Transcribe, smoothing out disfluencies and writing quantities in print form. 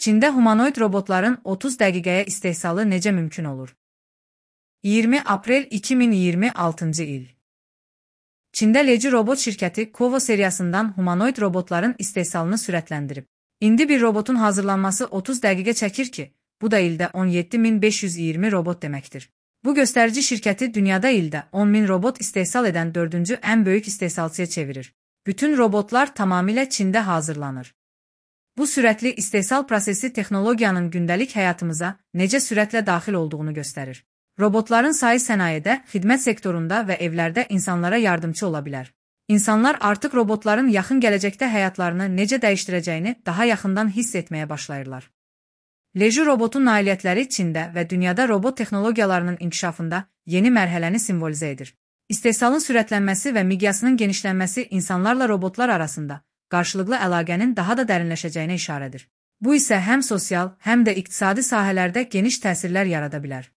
Çində humanoid robotların 30 dəqiqəyə istehsalı necə mümkün olur? 20 aprel 2026-cı il. Çində Leji robot şirkəti Kovo seriyasından humanoid robotların istehsalını sürətləndirib. İndi bir robotun hazırlanması 30 dəqiqə çəkir ki, bu da ildə 17.520 robot deməkdir. Bu göstərici şirkəti dünyada ildə 10.000 robot istehsal edən 4-cü ən böyük istehsalçıya çevirir. Bütün robotlar tamamilə Çində hazırlanır. Bu sürətli istehsal prosesi texnologiyanın gündəlik həyatımıza necə sürətlə daxil olduğunu göstərir. Robotların sayı sənayedə, xidmət sektorunda və evlərdə insanlara yardımçı ola bilər. İnsanlar artıq robotların yaxın gələcəkdə həyatlarını necə dəyişdirəcəyini daha yaxından hiss etməyə başlayırlar. Leji robotun nailiyyətləri Çində və dünyada robot texnologiyalarının inkişafında yeni mərhələni simvolizə edir. İstehsalın sürətlənməsi və miqyasının genişlənməsi insanlarla robotlar arasında qarşılıqlı əlaqənin daha da dərinləşəcəyinə işarədir. Bu isə həm sosial, həm də iqtisadi sahələrdə geniş təsirlər yarada bilər.